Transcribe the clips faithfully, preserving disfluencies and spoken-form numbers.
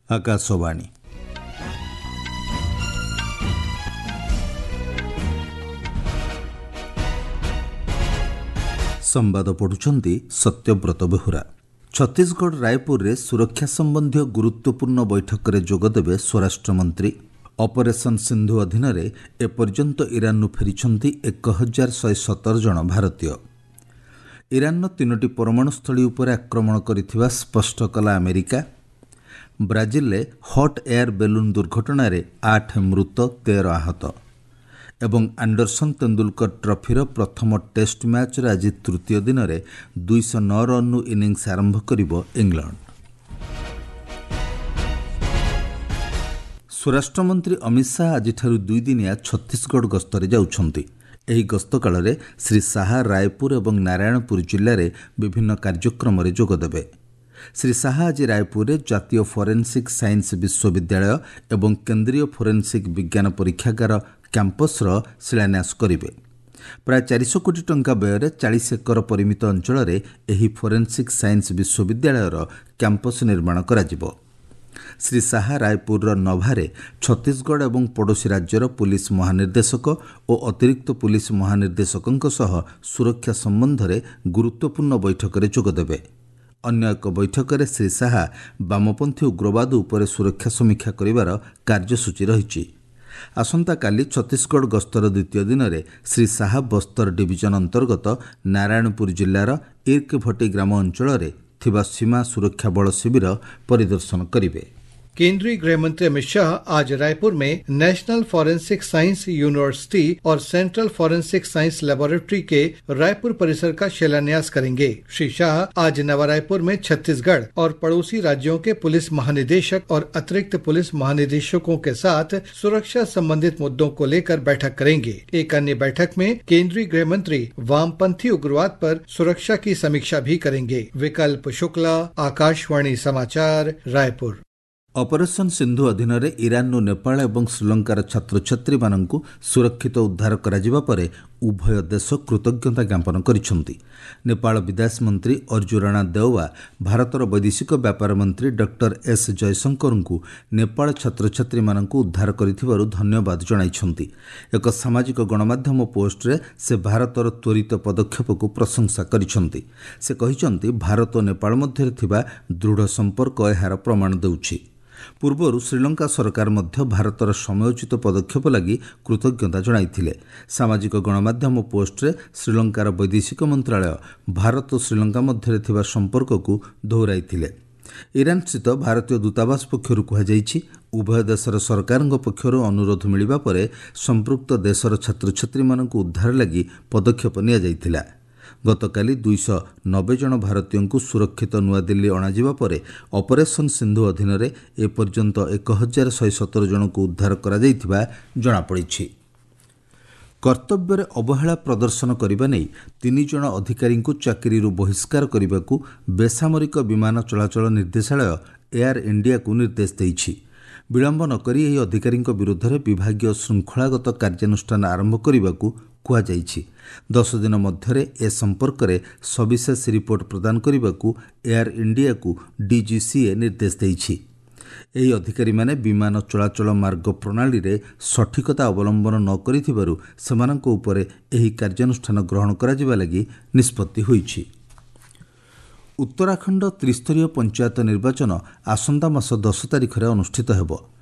ଆକାଶବାଣୀ। ସମ୍ବାଦ ପଢ଼ୁଛନ୍ତି ସତ୍ୟବ୍ରତ ବେହୁରା। ଛତିଶଗଡ଼ ରାୟପୁରରେ ସୁରକ୍ଷା ସମ୍ବନ୍ଧୀୟ ଗୁରୁତ୍ୱପୂର୍ଣ୍ଣ ବୈଠକରେ ଯୋଗଦେବେ ସ୍ୱରାଷ୍ଟ୍ରମନ୍ତ୍ରୀ। ଅପରେସନ୍ ସିନ୍ଧୁ ଅଧୀନରେ ଏପର୍ଯ୍ୟନ୍ତ ଇରାନରୁ ଫେରିଛନ୍ତି ଏକ ହଜାର ଶହେ ସତର ଜଣ ଭାରତୀୟ। ଇରାନର ତିନୋଟି ପରମାଣୁସ୍ଥଳୀ ଉପରେ ଆକ୍ରମଣ କରିଥିବା ସ୍ପଷ୍ଟ କଲା ଆମେରିକା। ବ୍ରାଜିଲରେ ହଟ୍ ଏୟାର ବେଲୁନ୍ ଦୁର୍ଘଟଣାରେ ଆଠ ମୃତ, ତେର ଆହତ। ଏବଂ ଆଣ୍ଡରସନ୍ ତେନ୍ଦୁଲକର ଟ୍ରଫିର ପ୍ରଥମ ଟେଷ୍ଟ ମ୍ୟାଚ୍ର ଆଜି ତୃତୀୟ ଦିନରେ ଦୁଇଶହ ନଅ ରନ୍ରୁ ଇନିଂସ ଆରମ୍ଭ କରିବ ଇଂଲଣ୍ଡ। ସ୍ୱରାଷ୍ଟ୍ରମନ୍ତ୍ରୀ ଅମିତ ଶାହା ଆଜିଠାରୁ ଦୁଇଦିନିଆ ଛତିଶଗଡ଼ ଗସ୍ତରେ ଯାଉଛନ୍ତି। ଏହି ଗସ୍ତ କାଳରେ ଶ୍ରୀ ଶାହା ରାୟପୁର ଏବଂ ନାରାୟଣପୁର ଜିଲ୍ଲାରେ ବିଭିନ୍ନ କାର୍ଯ୍ୟକ୍ରମରେ ଯୋଗଦେବେ। ଶ୍ରୀ ଶାହା ଆଜି ରାୟପୁରରେ ଜାତୀୟ ଫୋରେନ୍ସିକ୍ ସାଇନ୍ସ ବିଶ୍ୱବିଦ୍ୟାଳୟ ଏବଂ କେନ୍ଦ୍ରୀୟ ଫୋରେନ୍ସିକ୍ ବିଜ୍ଞାନ ପରୀକ୍ଷାଗାର କ୍ୟାମ୍ପସ୍ର ଶିଳାନ୍ୟାସ କରିବେ। ପ୍ରାୟ ଚାରିଶହ କୋଟି ଟଙ୍କା ବ୍ୟୟରେ ଚାଳିଶ ଏକର ପରିମିତ ଅଞ୍ଚଳରେ ଏହି ଫୋରେନ୍ସିକ୍ ସାଇନ୍ସ ବିଶ୍ୱବିଦ୍ୟାଳୟର କ୍ୟାମ୍ପସ୍ ନିର୍ମାଣ କରାଯିବ। ଶ୍ରୀ ଶାହା ରାୟପୁରର ନଭାରେ ଛତିଶଗଡ଼ ଏବଂ ପଡ଼ୋଶୀ ରାଜ୍ୟର ପୁଲିସ ମହାନିର୍ଦ୍ଦେଶକ ଓ ଅତିରିକ୍ତ ପୁଲିସ ମହାନିର୍ଦ୍ଦେଶକଙ୍କ ସହ ସୁରକ୍ଷା ସମ୍ବନ୍ଧରେ ଗୁରୁତ୍ୱପୂର୍ଣ୍ଣ ବୈଠକରେ ଯୋଗଦେବେ। ଅନ୍ୟ ଏକ ବୈଠକରେ ଶ୍ରୀ ଶାହା ବାମପନ୍ଥୀ ଉଗ୍ରବାଦ ଉପରେ ସୁରକ୍ଷା ସମୀକ୍ଷା କରିବାର କାର୍ଯ୍ୟସୂଚୀ ରହିଛି। ଆସନ୍ତାକାଲି ଛତିଶଗଡ଼ ଗସ୍ତର ଦ୍ୱିତୀୟ ଦିନରେ ଶ୍ରୀ ଶାହା ବସ୍ତର ଡିଭିଜନ ଅନ୍ତର୍ଗତ ନାରାୟଣପୁର ଜିଲ୍ଲାର ଇର୍କଭଟି ଗ୍ରାମ ଅଞ୍ଚଳରେ ଥିବା ସୀମା ସୁରକ୍ଷା ବଳ ଶିବିର ପରିଦର୍ଶନ କରିବେ। केंद्रीय गृह मंत्री अमित शाह आज रायपुर में नेशनल फॉरेंसिक साइंस यूनिवर्सिटी और सेंट्रल फॉरेंसिक साइंस लेबोरेटरी के रायपुर परिसर का शिलान्यास करेंगे। श्री शाह आज नवा रायपुर में छत्तीसगढ़ और पड़ोसी राज्यों के पुलिस महानिदेशक और अतिरिक्त पुलिस महानिदेशकों के साथ सुरक्षा संबंधित मुद्दों को लेकर बैठक करेंगे। एक अन्य बैठक में केंद्रीय गृह मंत्री वामपंथी उग्रवाद पर सुरक्षा की समीक्षा भी करेंगे। विकल्प शुक्ला, आकाशवाणी समाचार, रायपुर। ଅପରେସନ୍ ସିନ୍ଧୁ ଅଧୀନରେ ଇରାନରୁ ନେପାଳ ଏବଂ ଶ୍ରୀଲଙ୍କାର ଛାତ୍ରଛାତ୍ରୀମାନଙ୍କୁ ସୁରକ୍ଷିତ ଉଦ୍ଧାର କରାଯିବା ପରେ ଉଭୟ ଦେଶ କୃତଜ୍ଞତା ଜ୍ଞାପନ କରିଛନ୍ତି। ନେପାଳ ବିଦେଶ ମନ୍ତ୍ରୀ ଅର୍ଜୁ ରାଣା ଦେଓବା ଭାରତର ବୈଦେଶିକ ବ୍ୟାପାର ମନ୍ତ୍ରୀ ଡକ୍ଟର ଏସ୍ ଜୟଶଙ୍କରଙ୍କୁ ନେପାଳ ଛାତ୍ରଛାତ୍ରୀମାନଙ୍କୁ ଉଦ୍ଧାର କରିଥିବାରୁ ଧନ୍ୟବାଦ ଜଣାଇଛନ୍ତି। ଏକ ସାମାଜିକ ଗଣମାଧ୍ୟମ ପୋଷ୍ଟରେ ସେ ଭାରତର ତ୍ୱରିତ ପଦକ୍ଷେପକୁ ପ୍ରଶଂସା କରିଛନ୍ତି। ସେ କହିଛନ୍ତି, ଭାରତ ଓ ନେପାଳ ମଧ୍ୟରେ ଥିବା ଦୃଢ଼ ସମ୍ପର୍କ ଏହାର ପ୍ରମାଣ ଦେଉଛି। ପୂର୍ବରୁ ଶ୍ରୀଲଙ୍କା ସରକାର ମଧ୍ୟ ଭାରତର ସମୟୋଚିତ ପଦକ୍ଷେପ ଲାଗି କୃତଜ୍ଞତା ଜଣାଇଥିଲେ। ସାମାଜିକ ଗଣମାଧ୍ୟମ ପୋଷ୍ଟରେ ଶ୍ରୀଲଙ୍କାର ବୈଦେଶିକ ମନ୍ତ୍ରାଳୟ ଭାରତ ଓ ଶ୍ରୀଲଙ୍କା ମଧ୍ୟରେ ଥିବା ସମ୍ପର୍କକୁ ଦୋହରାଇଥିଲେ। ଇରାନସ୍ଥିତ ଭାରତୀୟ ଦୂତାବାସ ପକ୍ଷରୁ କୁହାଯାଇଛି, ଉଭୟ ଦେଶର ସରକାରଙ୍କ ପକ୍ଷରୁ ଅନୁରୋଧ ମିଳିବା ପରେ ସମ୍ପୃକ୍ତ ଦେଶର ଛାତ୍ରଛାତ୍ରୀମାନଙ୍କୁ ଉଦ୍ଧାର ଲାଗି ପଦକ୍ଷେପ ନିଆଯାଇଥିଲା। ଗତକାଲି ଦୁଇଶହ ନବେ ଜଣ ଭାରତୀୟଙ୍କୁ ସୁରକ୍ଷିତ ନୂଆଦିଲ୍ଲୀ ଅଣାଯିବା ପରେ ଅପରେସନ୍ ସିନ୍ଧୁ ଅଧୀନରେ ଏପର୍ଯ୍ୟନ୍ତ ଏକ ହଜାର ଶହେ ସତର ଜଣଙ୍କୁ ଉଦ୍ଧାର କରାଯାଇଥିବା ଜଣାପଡ଼ିଛି। କର୍ତ୍ତବ୍ୟରେ ଅବହେଳା ପ୍ରଦର୍ଶନ କରିବା ନେଇ ତିନି ଜଣ ଅଧିକାରୀଙ୍କୁ ଚାକିରିରୁ ବହିଷ୍କାର କରିବାକୁ ବେସାମରିକ ବିମାନ ଚଳାଚଳ ନିର୍ଦ୍ଦେଶାଳୟ ଏୟାର ଇଣ୍ଡିଆକୁ ନିର୍ଦ୍ଦେଶ ଦେଇଛି। ବିଳମ୍ବ ନକରି ଏହି ଅଧିକାରୀଙ୍କ ବିରୁଦ୍ଧରେ ବିଭାଗୀୟ ଶୃଙ୍ଖଳାଗତ କାର୍ଯ୍ୟାନୁଷ୍ଠାନ ଆରମ୍ଭ କରିବାକୁ କୁହାଯାଇଛି। ଦଶ ଦିନ ମଧ୍ୟରେ ଏ ସମ୍ପର୍କରେ ସବିଶେଷ ରିପୋର୍ଟ ପ୍ରଦାନ କରିବାକୁ ଏୟାର ଇଣ୍ଡିଆକୁ ଡିଜିସିଏ ନିର୍ଦ୍ଦେଶ ଦେଇଛି। ଏହି ଅଧିକାରୀମାନେ ବିମାନ ଚଳାଚଳ ମାର୍ଗ ପ୍ରଣାଳୀରେ ସଠିକତା ଅବଲମ୍ବନ ନ କରିଥିବାରୁ ସେମାନଙ୍କ ଉପରେ ଏହି କାର୍ଯ୍ୟାନୁଷ୍ଠାନ ଗ୍ରହଣ କରାଯିବା ଲାଗି ନିଷ୍ପତ୍ତି ହୋଇଛି। ଉତ୍ତରାଖଣ୍ଡ ତ୍ରିସ୍ତରୀୟ ପଞ୍ଚାୟତ ନିର୍ବାଚନ ଆସନ୍ତା ମାସ ଦଶ ତାରିଖରେ ଅନୁଷ୍ଠିତ ହେବ।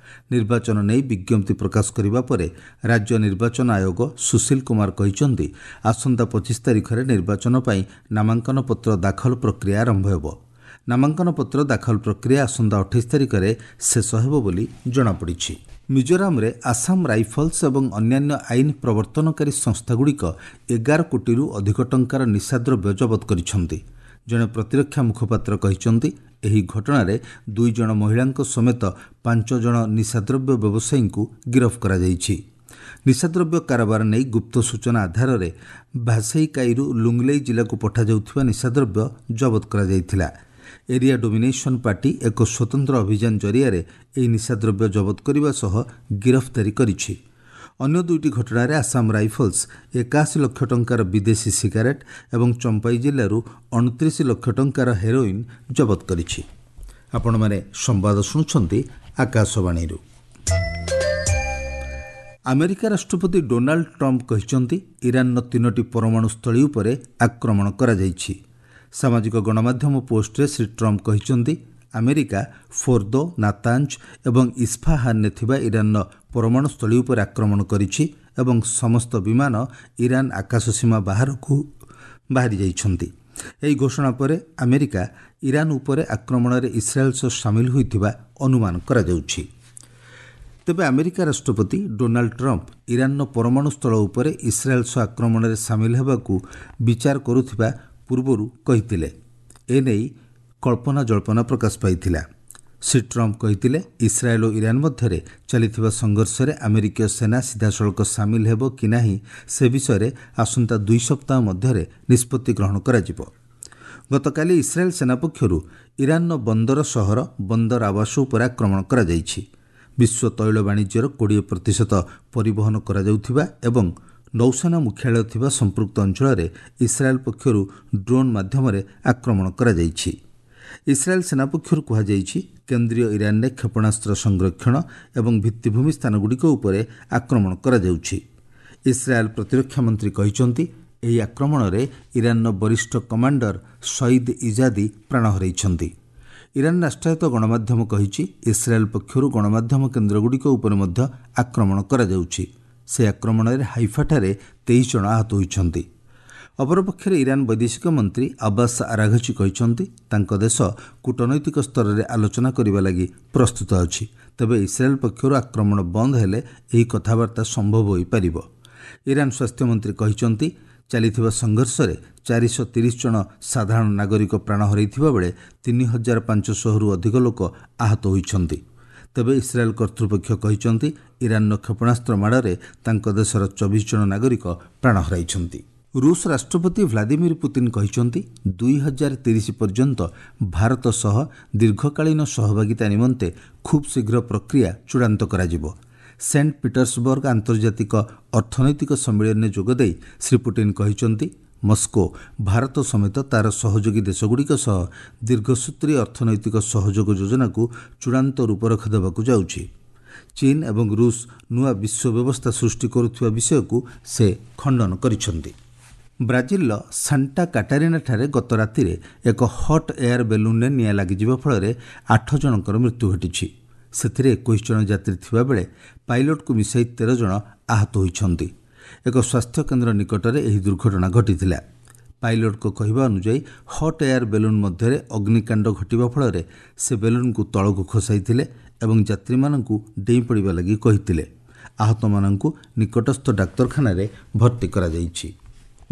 ନିର୍ବାଚନ ନେଇ ବିଜ୍ଞପ୍ତି ପ୍ରକାଶ କରିବା ପରେ ରାଜ୍ୟ ନିର୍ବାଚନ ଆୟୋଗ ସୁଶୀଲ କୁମାର କହିଛନ୍ତି, ଆସନ୍ତା ପଚିଶ ତାରିଖରେ ନିର୍ବାଚନ ପାଇଁ ନାମାଙ୍କନ ପତ୍ର ଦାଖଲ ପ୍ରକ୍ରିୟା ଆରମ୍ଭ ହେବ। ନାମାଙ୍କନ ପତ୍ର ଦାଖଲ ପ୍ରକ୍ରିୟା ଆସନ୍ତା ଅଠେଇଶ ତାରିଖରେ ଶେଷ ହେବ ବୋଲି ଜଣାପଡ଼ିଛି। ମିଜୋରାମରେ ଆସାମ ରାଇଫଲ୍ସ ଏବଂ ଅନ୍ୟାନ୍ୟ ଆଇନ ପ୍ରବର୍ତ୍ତନକାରୀ ସଂସ୍ଥାଗୁଡ଼ିକ ଏଗାର କୋଟିରୁ ଅଧିକ ଟଙ୍କାର ନିଶାଦ୍ରବ୍ୟ ଜବତ କରିଛନ୍ତି। ଜଣେ ପ୍ରତିରକ୍ଷା ମୁଖପାତ୍ର କହିଛନ୍ତି, ଏହି ଘଟଣାରେ ଦୁଇ ଜଣ ମହିଳାଙ୍କ ସମେତ ପାଞ୍ଚ ଜଣ ନିଶାଦ୍ରବ୍ୟ ବ୍ୟବସାୟୀଙ୍କୁ ଗିରଫ କରାଯାଇଛି। ନିଶାଦ୍ରବ୍ୟ କାରବାର ନେଇ ଗୁପ୍ତ ସୂଚନା ଆଧାରରେ ଭାସେଇକାଇରୁ ଲୁଙ୍ଗଲେଇ ଜିଲ୍ଲାକୁ ପଠାଯାଉଥିବା ନିଶାଦ୍ରବ୍ୟ ଜବତ କରାଯାଇଥିଲା। ଏରିଆ ଡୋମିନେସନ୍ ପାର୍ଟି ଏକ ସ୍ୱତନ୍ତ୍ର ଅଭିଯାନ ଜରିଆରେ ଏହି ନିଶାଦ୍ରବ୍ୟ ଜବତ କରିବା ସହ ଗିରଫଦାରୀ କରିଛି। ଅନ୍ୟ ଦୁଇଟି ଘଟଣାରେ ଆସାମ ରାଇଫଲ୍ସ ଏକାଅଶୀ ଲକ୍ଷ ଟଙ୍କାର ବିଦେଶୀ ସିଗାରେଟ୍ ଏବଂ ଚମ୍ପାଇ ଜିଲ୍ଲାରୁ ଅଣତିରିଶ ଲକ୍ଷ ଟଙ୍କାର ହେରୋଇନ୍ ଜବତ କରିଛି। ଆପଣମାନେ ସମ୍ବାଦ ଶୁଣୁଛନ୍ତି ଆକାଶବାଣୀରୁ। ଆମେରିକା ରାଷ୍ଟ୍ରପତି ଡୋନାଲ୍ଡ ଟ୍ରମ୍ପ କହିଛନ୍ତି, ଇରାନର ତିନୋଟି ପରମାଣୁ ସ୍ଥଳୀ ଉପରେ ଆକ୍ରମଣ କରାଯାଇଛି। ସାମାଜିକ ଗଣମାଧ୍ୟମ ପୋଷ୍ଟରେ ଶ୍ରୀ ଟ୍ରମ୍ପ କହିଛନ୍ତି, ଆମେରିକା ଫୋର୍ଦୋ, ନାତାଞ୍ଜ ଏବଂ ଇସ୍ଫାହାନରେ ଥିବା ଇରାନର ପରମାଣୁ ସ୍ଥଳୀ ଉପରେ ଆକ୍ରମଣ କରିଛି ଏବଂ ସମସ୍ତ ବିମାନ ଇରାନ ଆକାଶ ସୀମା ବାହାରକୁ ବାହାରି ଯାଇଛନ୍ତି। ଏହି ଘୋଷଣା ପରେ ଆମେରିକା ଇରାନ ଉପରେ ଆକ୍ରମଣରେ ଇସ୍ରାଏଲ୍ ସହ ସାମିଲ ହୋଇଥିବା ଅନୁମାନ କରାଯାଉଛି। ତେବେ ଆମେରିକା ରାଷ୍ଟ୍ରପତି ଡୋନାଲ୍ଡ ଟ୍ରମ୍ପ ଇରାନର ପରମାଣୁ ସ୍ଥଳ ଉପରେ ଇସ୍ରାଏଲ୍ ସହ ଆକ୍ରମଣରେ ସାମିଲ ହେବାକୁ ବିଚାର କରୁଥିବା ପୂର୍ବରୁ କହିଥିଲେ। ଏନେଇ କଳ୍ପନା ଜଳ୍ପନା ପ୍ରକାଶ ପାଇଥିଲା। ଶ୍ରୀ ଟ୍ରମ୍ପ କହିଥିଲେ, ଇସ୍ରାଏଲ୍ ଓ ଇରାନ ମଧ୍ୟରେ ଚାଲିଥିବା ସଂଘର୍ଷରେ ଆମେରିକୀୟ ସେନା ସିଧାସଳଖ ସାମିଲ ହେବ କି ନାହିଁ ସେ ବିଷୟରେ ଆସନ୍ତା ଦୁଇ ସପ୍ତାହ ମଧ୍ୟରେ ନିଷ୍ପତ୍ତି ଗ୍ରହଣ କରାଯିବ। ଗତକାଲି ଇସ୍ରାଏଲ୍ ସେନା ପକ୍ଷରୁ ଇରାନର ବନ୍ଦର ସହର ବନ୍ଦର ଆବାସ ଉପରେ ଆକ୍ରମଣ କରାଯାଇଛି। ବିଶ୍ୱ ତୈଳ ବାଣିଜ୍ୟର କୋଡ଼ିଏ ପ୍ରତିଶତ ପରିବହନ କରାଯାଉଥିବା ଏବଂ ନୌସେନା ମୁଖ୍ୟାଳୟ ଥିବା ସମ୍ପୃକ୍ତ ଅଞ୍ଚଳରେ ଇସ୍ରାଏଲ୍ ପକ୍ଷରୁ ଡ୍ରୋନ୍ ମାଧ୍ୟମରେ ଆକ୍ରମଣ କରାଯାଇଛି। ଇସ୍ରାଏଲ୍ ସେନା ପକ୍ଷରୁ କୁହାଯାଇଛି, କେନ୍ଦ୍ରୀୟ ଇରାନରେ କ୍ଷେପଣାସ୍ତ୍ର ସଂରକ୍ଷଣ ଏବଂ ଭିତ୍ତିଭୂମି ସ୍ଥାନଗୁଡ଼ିକ ଉପରେ ଆକ୍ରମଣ କରାଯାଉଛି। ଇସ୍ରାଏଲ୍ ପ୍ରତିରକ୍ଷା ମନ୍ତ୍ରୀ କହିଛନ୍ତି, ଏହି ଆକ୍ରମଣରେ ଇରାନର ବରିଷ୍ଠ କମାଣ୍ଡର ସଇଦ ଇଜାଦି ପ୍ରାଣ ହରାଇଛନ୍ତି। ଇରାନ ରାଷ୍ଟ୍ରାୟତ୍ତ ଗଣମାଧ୍ୟମ କହିଛି, ଇସ୍ରାଏଲ୍ ପକ୍ଷରୁ ଗଣମାଧ୍ୟମ କେନ୍ଦ୍ରଗୁଡ଼ିକ ଉପରେ ମଧ୍ୟ ଆକ୍ରମଣ କରାଯାଉଛି। ସେ ଆକ୍ରମଣରେ ହାଇଫାଠାରେ ତେଇଶ ଜଣ ଆହତ ହୋଇଛନ୍ତି। ଅପରପକ୍ଷରେ ଇରାନ ବୈଦେଶିକ ମନ୍ତ୍ରୀ ଆବ୍ବାସ ଆରାଘଚି କହିଛନ୍ତି, ତାଙ୍କ ଦେଶ କୂଟନୈତିକ ସ୍ତରରେ ଆଲୋଚନା କରିବା ଲାଗି ପ୍ରସ୍ତୁତ ଅଛି। ତେବେ ଇସ୍ରାଏଲ୍ ପକ୍ଷରୁ ଆକ୍ରମଣ ବନ୍ଦ ହେଲେ ଏହି କଥାବାର୍ତ୍ତା ସମ୍ଭବ ହୋଇପାରିବ। ଇରାନ ସ୍ୱାସ୍ଥ୍ୟମନ୍ତ୍ରୀ କହିଛନ୍ତି, ଚାଲିଥିବା ସଂଘର୍ଷରେ ଚାରିଶହ ତିରିଶ ଜଣ ସାଧାରଣ ନାଗରିକ ପ୍ରାଣ ହରାଇଥିବା ବେଳେ ତିନି ହଜାର ପାଞ୍ଚଶହରୁ ଅଧିକ ଲୋକ ଆହତ ହୋଇଛନ୍ତି। ତେବେ ଇସ୍ରାଏଲ୍ କର୍ତ୍ତୃପକ୍ଷ କହିଛନ୍ତି, ଇରାନର କ୍ଷେପଣାସ୍ତ୍ର ମାଡ଼ରେ ତାଙ୍କ ଦେଶର ଚବିଶ ଜଣ ନାଗରିକ ପ୍ରାଣ ହରାଇଛନ୍ତି। ରୁଷ ରାଷ୍ଟ୍ରପତି ଭ୍ଲାଦିମିର ପୁତିନ କହିଛନ୍ତି, ଦୁଇ ହଜାର ତିରିଶ ପର୍ଯ୍ୟନ୍ତ ଭାରତ ସହ ଦୀର୍ଘକାଳୀନ ସହଭାଗିତା ନିମନ୍ତେ ଖୁବ୍ ଶୀଘ୍ର ପ୍ରକ୍ରିୟା ଚୂଡ଼ାନ୍ତ କରାଯିବ। ସେଣ୍ଟ ପିଟର୍ସବର୍ଗ ଆନ୍ତର୍ଜାତିକ ଅର୍ଥନୈତିକ ସମ୍ମିଳନୀରେ ଯୋଗଦେଇ ଶ୍ରୀ ପୁଟିନ କହିଛନ୍ତି, ମସ୍କୋ ଭାରତ ସମେତ ତା'ର ସହଯୋଗୀ ଦେଶଗୁଡ଼ିକ ସହ ଦୀର୍ଘସୂତ୍ରୀ ଅର୍ଥନୈତିକ ସହଯୋଗ ଯୋଜନାକୁ ଚୂଡ଼ାନ୍ତ ରୂପରେଖ ଦେବାକୁ ଯାଉଛି। ଚୀନ ଏବଂ ରୁଷ ନୂଆ ବିଶ୍ୱ ବ୍ୟବସ୍ଥା ସୃଷ୍ଟି କରୁଥିବା ବିଷୟକୁ ସେ ଖଣ୍ଡନ କରିଛନ୍ତି। ବ୍ରାଜିଲର ସାଣ୍ଟା କାଟାରିନାଠାରେ ଗତ ରାତିରେ ଏକ ହଟ୍ ଏୟାର ବେଲୁନ୍ରେ ନିଆଁ ଲାଗିଯିବା ଫଳରେ ଆଠ ଜଣଙ୍କର ମୃତ୍ୟୁ ଘଟିଛି। ସେଥିରେ ଏକୋଇଶ ଜଣ ଯାତ୍ରୀ ଥିବାବେଳେ ପାଇଲଟକୁ ମିଶାଇ ତେର ଜଣ ଆହତ ହୋଇଛନ୍ତି। ଏକ ସ୍ୱାସ୍ଥ୍ୟକେନ୍ଦ୍ର ନିକଟରେ ଏହି ଦୁର୍ଘଟଣା ଘଟିଥିଲା। ପାଇଲଟଙ୍କ କହିବା ଅନୁଯାୟୀ, ହଟ୍ ଏୟାର ବେଲୁନ୍ ମଧ୍ୟରେ ଅଗ୍ନିକାଣ୍ଡ ଘଟିବା ଫଳରେ ସେ ବେଲୁନ୍କୁ ତଳକୁ ଖସାଇଥିଲେ ଏବଂ ଯାତ୍ରୀମାନଙ୍କୁ ଡେଇଁ ପଡ଼ିବା ଲାଗି କହିଥିଲେ। ଆହତମାନଙ୍କୁ ନିକଟସ୍ଥ ଡାକ୍ତରଖାନାରେ ଭର୍ତ୍ତି କରାଯାଇଛି।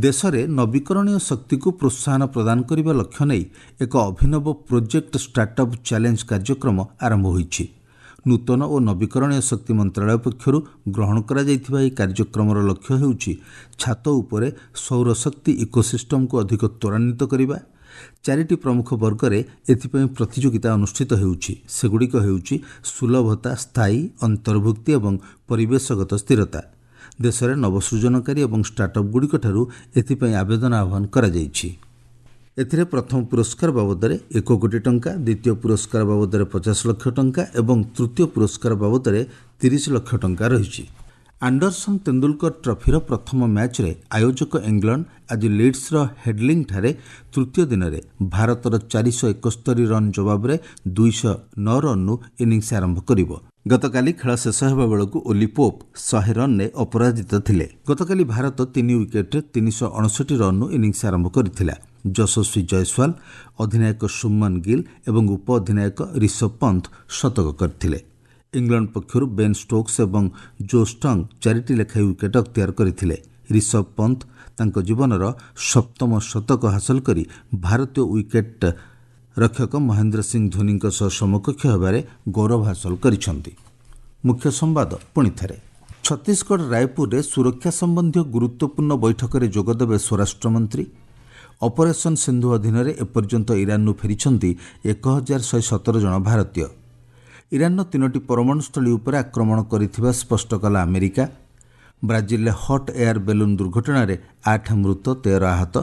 ଦେଶରେ ନବୀକରଣୀୟ ଶକ୍ତିକୁ ପ୍ରୋତ୍ସାହନ ପ୍ରଦାନ କରିବା ଲକ୍ଷ୍ୟ ନେଇ ଏକ ଅଭିନବ ପ୍ରୋଜେକ୍ଟ ଷ୍ଟାର୍ଟଅପ୍ ଚ୍ୟାଲେଞ୍ଜ କାର୍ଯ୍ୟକ୍ରମ ଆରମ୍ଭ ହୋଇଛି। ନୂତନ ଓ ନବୀକରଣୀୟ ଶକ୍ତି ମନ୍ତ୍ରାଳୟ ପକ୍ଷରୁ ଗ୍ରହଣ କରାଯାଇଥିବା ଏହି କାର୍ଯ୍ୟକ୍ରମର ଲକ୍ଷ୍ୟ ହେଉଛି ଛାତ ଉପରେ ସୌରଶକ୍ତି ଇକୋସିଷ୍ଟମକୁ ଅଧିକ ତ୍ୱରାନ୍ୱିତ କରିବା। ଚାରିଟି ପ୍ରମୁଖ ବର୍ଗରେ ଏଥିପାଇଁ ପ୍ରତିଯୋଗିତା ଅନୁଷ୍ଠିତ ହେଉଛି। ସେଗୁଡ଼ିକ ହେଉଛି ସୁଲଭତା, ସ୍ଥାୟୀ, ଅନ୍ତର୍ଭୁକ୍ତି ଏବଂ ପରିବେଶଗତ ସ୍ଥିରତା। ଦେଶରେ ନବସୃଜନକାରୀ ଏବଂ ଷ୍ଟାର୍ଟଅପ୍ଗୁଡ଼ିକଠାରୁ ଏଥିପାଇଁ ଆବେଦନ ଆହ୍ୱାନ କରାଯାଇଛି। ଏଥିରେ ପ୍ରଥମ ପୁରସ୍କାର ବାବଦରେ ଏକ କୋଟି ଟଙ୍କା, ଦ୍ୱିତୀୟ ପୁରସ୍କାର ବାବଦରେ ପଚାଶ ଲକ୍ଷ ଟଙ୍କା ଏବଂ ତୃତୀୟ ପୁରସ୍କାର ବାବଦରେ ତିରିଶ ଲକ୍ଷ ଟଙ୍କା ରହିଛି। ଆଣ୍ଡରସନ୍ ତେନ୍ଦୁଲକର ଟ୍ରଫିର ପ୍ରଥମ ମ୍ୟାଚ୍ରେ ଆୟୋଜକ ଇଂଲଣ୍ଡ ଆଜି ଲିଡ୍ସର ହେଡଲିଂଠାରେ ତୃତୀୟ ଦିନରେ ଭାରତର ଚାରିଶହ ଏକସ୍ତରୀ ରନ୍ ଜବାବରେ ଦୁଇଶହ ନଅ ରନ୍ରୁ ଇନିଂସ ଆରମ୍ଭ କରିବ। ଗତକାଲି ଖେଳ ଶେଷ ହେବା ବେଳକୁ ଓଲି ପୋପ୍ ଶହେ ରନ୍ରେ ଅପରାଜିତ ଥିଲେ। ଗତକାଲି ଭାରତ ତିନି ୱିକେଟ୍ରେ ତିନିଶହ ଅଣଷଠି ରନ୍ରୁ ଇନିଂସ ଆରମ୍ଭ କରିଥିଲା। ଯଶସ୍ୱୀ ଜୟସ୍ୱାଲ, ଅଧିନାୟକ ଶୁଭମନ ଗିଲ୍ ଏବଂ ଉପ ଅଧିନାୟକ ରିଷଭ ପନ୍ଥ ଶତକ କରିଥିଲେ। ଇଂଲଣ୍ଡ ପକ୍ଷରୁ ବେନ୍ ଷ୍ଟୋକ୍ସ ଏବଂ ଜୋସ୍ ଟଙ୍ଗ ଚାରିଟି ଲେଖାଏଁ ୱିକେଟ୍ ଅକ୍ତିଆର କରିଥିଲେ। ରିଷଭ ପନ୍ଥ ତାଙ୍କ ଜୀବନର ସପ୍ତମ ଶତକ ହାସଲ କରି ଭାରତୀୟ ୱିକେଟ୍ ରକ୍ଷକ ମହେନ୍ଦ୍ର ସିଂ ଧୋନିଙ୍କ ସହ ସମକକ୍ଷ ହେବାରେ ଗୌରବ ହାସଲ କରିଛନ୍ତି। ମୁଖ୍ୟ ସମ୍ବାଦ ପୁଣି ଥରେ। ଛତିଶଗଡ଼ ରାୟପୁରରେ ସୁରକ୍ଷା ସମ୍ବନ୍ଧୀୟ ଗୁରୁତ୍ୱପୂର୍ଣ୍ଣ ବୈଠକରେ ଯୋଗଦେବେ ସ୍ୱରାଷ୍ଟ୍ରମନ୍ତ୍ରୀ। ଅପରେସନ୍ ସିନ୍ଧୁ ଅଧୀନରେ ଏପର୍ଯ୍ୟନ୍ତ ଇରାନରୁ ଫେରିଛନ୍ତି ଏକ ହଜାର ଶହେ ସତର ଜଣ ଭାରତୀୟ। ଇରାନର ତିନୋଟି ପରମାଣୁସ୍ଥଳୀ ଉପରେ ଆକ୍ରମଣ କରିଥିବା ସ୍ପଷ୍ଟ କଲା ଆମେରିକା। ବ୍ରାଜିଲରେ ହଟ୍ ଏୟାର ବେଲୁନ୍ ଦୁର୍ଘଟଣାରେ ଆଠ ମୃତ, ତେର ଆହତ।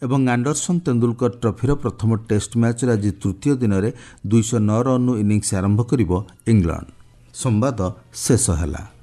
ଏବଂ ଆଣ୍ଡରସନ୍ ତେନ୍ଦୁଲକର ଟ୍ରଫିର ପ୍ରଥମ ଟେଷ୍ଟ ମ୍ୟାଚ୍ର ଆଜି ତୃତୀୟ ଦିନରେ ଦୁଇଶହ ନଅ ରନ୍ରୁ ଇନିଂସ ଆରମ୍ଭ କରିବ ଇଂଲଣ୍ଡ। ସମ୍ବାଦ ଶେଷ ହେଲା।